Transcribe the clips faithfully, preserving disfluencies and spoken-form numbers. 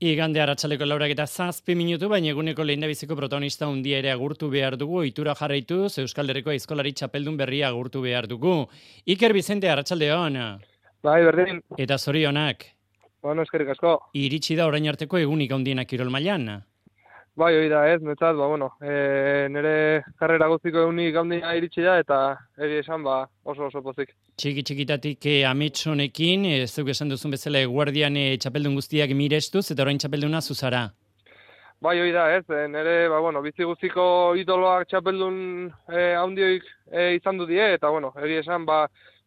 Igande arratsaldeko laurak eta zazpi minutu, baina eguneko lehendabiziko protagonista handia ere agurtu behar dugu, ohitura jarraituz Euskal Herriko aizkolari txapeldun berria agurtu behar dugu. Iker Bizente, arratsaldeon. Bai, berdin. Eta zorionak. Bueno, eskerrik asko. Iritsi da orain arteko egunik handienak kirol mailan. Bai, hori da, ez, netzat, ba, bueno, e, nire karrera guztiko egunik handia iritsi da, eta egi esan, ba, oso oso pozik. Txiki txikitatik eh, ametsonekin, ez duk esan duzun bezala eguardian eh, txapeldun guztiak mirestuz, eta orain txapelduna zuzara. Bai, hori da, ez, e, nire, ba, bueno, bizi guztiko idoloak txapeldun e, handioik e, izan du die, eta, bueno, egi esan, ba,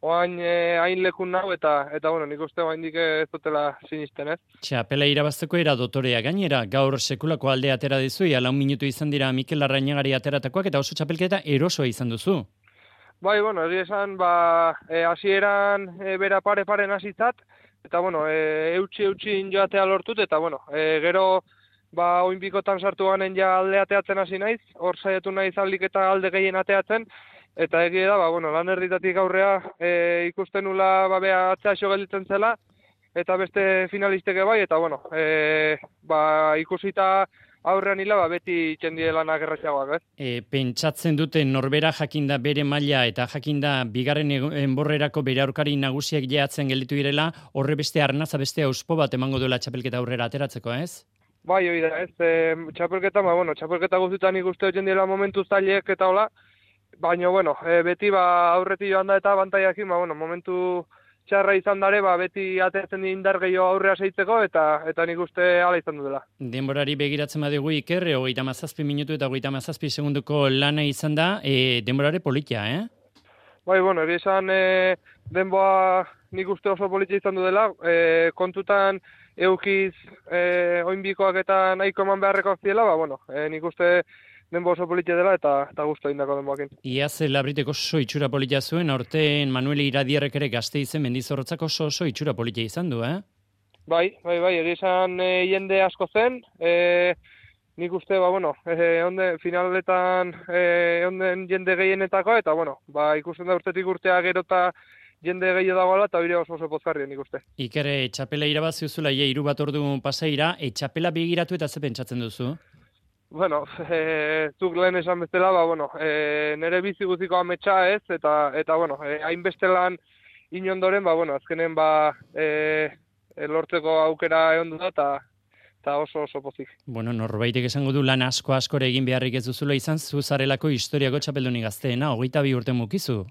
oain e, hain lekun nau, eta, eta, bueno, nik uste oain dike ez dutela sinisten, ez? Txapela irabazteko era dotorea gainera, gaur sekulako aldea atera dizu, ia lau minutu izan dira Mikel Larrañagari ateratakoak, eta oso txapelketa erosoa izan duzu. Bai, bueno, egi esan, ba, e, hasieran e, bera pare-paren hasitzat, eta, bueno, e, eutxi-eutxi joatea lortut, eta, bueno, e, gero, ba, oinbikotan sartu ganen ja alde ateatzen hasi naiz, hor saiatu naiz aldik eta alde gehien ateatzen, eta egia da, ba, bueno, lan erditatik aurrea e, ikusten nula, ba, bea atzea xo gelditzen zela, eta beste finalisteke bai, eta, bueno, e, ba, ikusita aurrean hila, ba, beti txendie lanak erratxagoak, ez? E, pentsatzen dute norbera jakinda bere maila eta jakinda bigarren enborrerako bere aurkari nagusiak jeatzen gelditu direla, horre beste arnaza beste auspo bat emango duela txapelketa aurrera ateratzeko, ez? Bai, hori da, ez, e, txapelketa, ba, bueno, txapelketa guztietan ikuste hotzen dira momentu zailek eta hola, baina, bueno, e, beti, ba, aurretik joan da eta bantaiakin, ba, bueno, momentu txarra izan dare, ba, beti ateatzen di indar gehiago aurrea seitzeko, eta eta nik uste hala izan dela. Denborari begiratzen badugu Iker, hogeita hamazazpi minutu eta hogeita hamazazpi segunduko lana izan da, e, denborare politia, eh? Bai, bueno, egia esan e, denboa nik uste oso politia izan du dela, e, kontutan eukiz e, oinbikoak eta nahiko eman beharrekoak ziela, ba, bueno, e, nik uste denbo oso politia dela eta eta gustu egindako denboakin. Iaz Labriteko oso itxura politia zuen, aurten Manuel Iradierrek ere Gasteizen Mendizorrotzak oso oso itxura politia izan du, eh? Bai, bai, bai, egia esan e, jende asko zen, e, nik uste, ba, bueno, e, onde, finaletan e, onden jende gehienetakoa, eta, bueno, ba, ikusten da urtetik urtea gero eta jende gehiago dagoela, eta bire oso oso pozgarri nik uste. Iker, e, txapela irabazi uzula, ia hiru bat ordu pasaira, e, txapela begiratu eta ze pentsatzen duzu? Bueno, e, zuk lehen esan bezala, ba, bueno, e, nire bizi guztiko ametsa ez, eta, eta bueno, e, hainbeste lan inondoren, ba, bueno, azkenen, ba, e, e, lortzeko aukera egon du da, eta eta oso oso pozik. Bueno, norbaitek esango du lan asko askore egin beharrik ez duzula izan, zuzarelako historiako txapelduni gazteena, hogeita bi urte mukizu.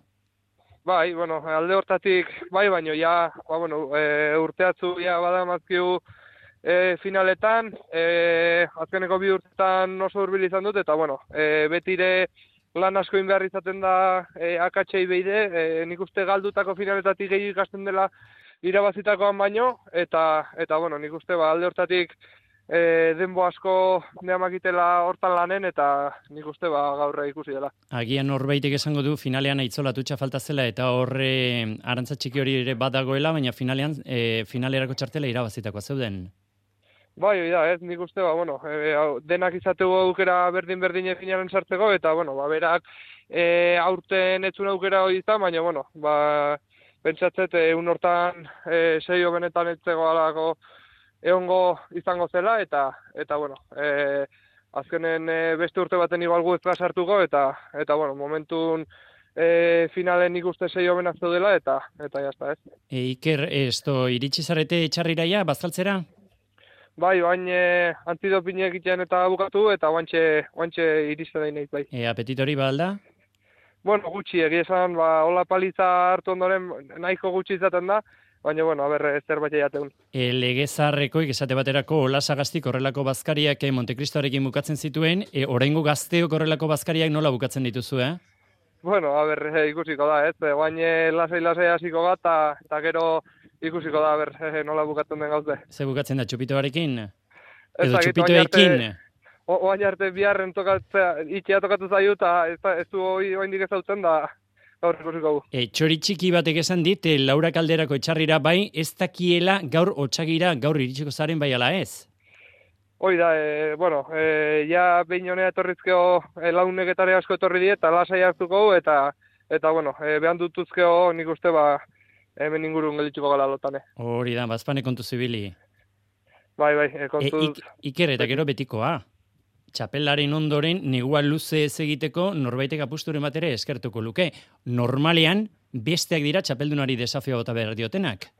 Bai, bueno, alde hortatik, bai, baino, ja, ba, bueno, e, urteatzu, ja, badamazkiu, E, finaletan, e, azkeneko bi urtetan oso hurbil izan dut, eta bueno, e, betire lan asko behar izaten da e, akatsei behide, e, nik uste galdutako finaletatik gehi ikasten dela irabazitakoan baino, eta, eta bueno, nik uste ba, alde hortatik e, denbo asko neamakitela hortan lanen, eta nik uste ba, gaurra ikusi dela. Agian norbaitek esango du finalean aitzolatu falta zela, eta horre arantza txiki hori ere badagoela, baina finalean, e, finalerako txartela irabazitakoa zeuden. Bai, hori da, ez, nik uste, ba, bueno, e, denak izateko aukera berdin-berdin eginaren sartzeko, eta, bueno, ba, berak e, aurten etzun aukera hori izan, baina, bueno, ba, pentsatzet, egun hortan e, seio benetan etzeko alako egongo izango zela, eta, eta bueno, e, azkenen e, beste urte baten igual gu ezka sartuko, eta, eta, bueno, momentun e, finalen nik uste seio benak dela, eta, eta jazta, ez. E, Iker, esto, iritsi zarete txarriraia, bazkaltzera? Bai, oain e, antidopine egitean eta bukatu, eta oantxe, oantxe iristen da inaiz, bai. E, apetitori ba alda? Bueno, gutxi, egia esan, ba, hola paliza hartu ondoren nahiko gutxi izaten da, baina, bueno, a ber, zerbait jateun. E, Legezarrekoik esate baterako Ola Sagastik horrelako bazkariak Montekristoarekin bukatzen zituen, e, oraingo gazteok horrelako bazkariak nola bukatzen dituzu, eh? Bueno, a ber, e, ikusiko da, ez, oain lasai-lasai hasiko bat, eta gero ikusiko da, ber, e, nola bukatzen den gauze. Ze bukatzen da, txupitoarekin? Ez Edo txupitoekin? Oain arte biharren tokatzea, itxea tokatu zaiu, eta ez, ez du oaindik ezautzen da, gaur ikusiko gu. E, txori txiki batek esan dit, e, Laura Kalderako etxarrira bai, ez dakiela gaur otsagira, gaur iritsiko zaren bai ala ez? Hoi da, e, bueno, e, ja behin honea etorrizkeo e, launeketare asko etorri die, eta lasai hartuko, eta, eta bueno, e, behan dutuzkeo nik uste, ba, hemen ingurun geldituko gala lotane. Hori da, bazpane kontu zibili. Bai, bai, e, E, kontuz... ik, Iker eta gero betikoa. Txapelaren ondoren, negua luze ez egiteko, norbaitek apusturen bat ere eskertuko luke. Normalean, besteak dira txapeldunari desafio bota behar diotenak.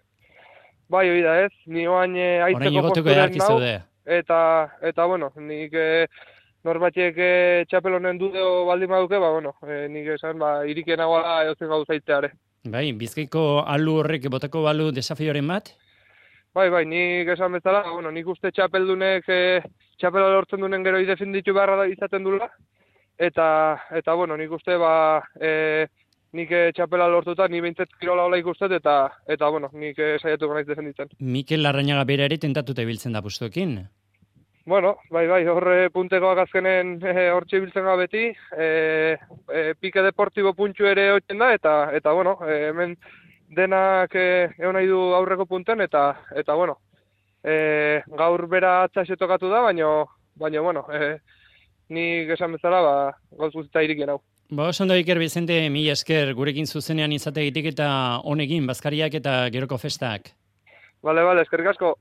Bai, hori da ez, ni oain e, Orain aitzeko igoteko posturen edarki nau, zaude. eta, eta bueno, nik e, norbatiek e, txapel honen dudeo baldin baduke, ba, bueno, e, nik esan, ba, irikien nagoala edozen gauzaitzeare. Bai, Bizkaiko alu horrek botako balu desafioren bat? Bai, bai, nik esan bezala, bueno, nik uste txapeldunek e, txapela lortzen duen gero defenditu beharra da izaten dula, eta, eta bueno, nik uste, ba, e, nik e, txapela lortuta, ni behintzet kirola hola ikustet, eta, eta bueno, nik e, saiatu naiz defenditzen. Mikel Larrañaga bera ere tentatuta ibiltzen da pustuekin. Bueno, bai, bai, horre puntekoak azkenen e, hortxe ibiltzen ga beti, e, e, pike deportibo puntxu ere hotzen da, eta, eta bueno, e, hemen denak e, egon nahi du aurreko punten, eta, eta bueno, e, gaur bera atzaxe tokatu da, baino, baino, bueno, e, nik esan bezala, ba, gauz guztita irikien hau. Ba, oso ondo Iker Bizente, mila esker gurekin zuzenean izategitik eta honekin, bazkariak eta geroko festak. Bale, bale, eskerrik asko.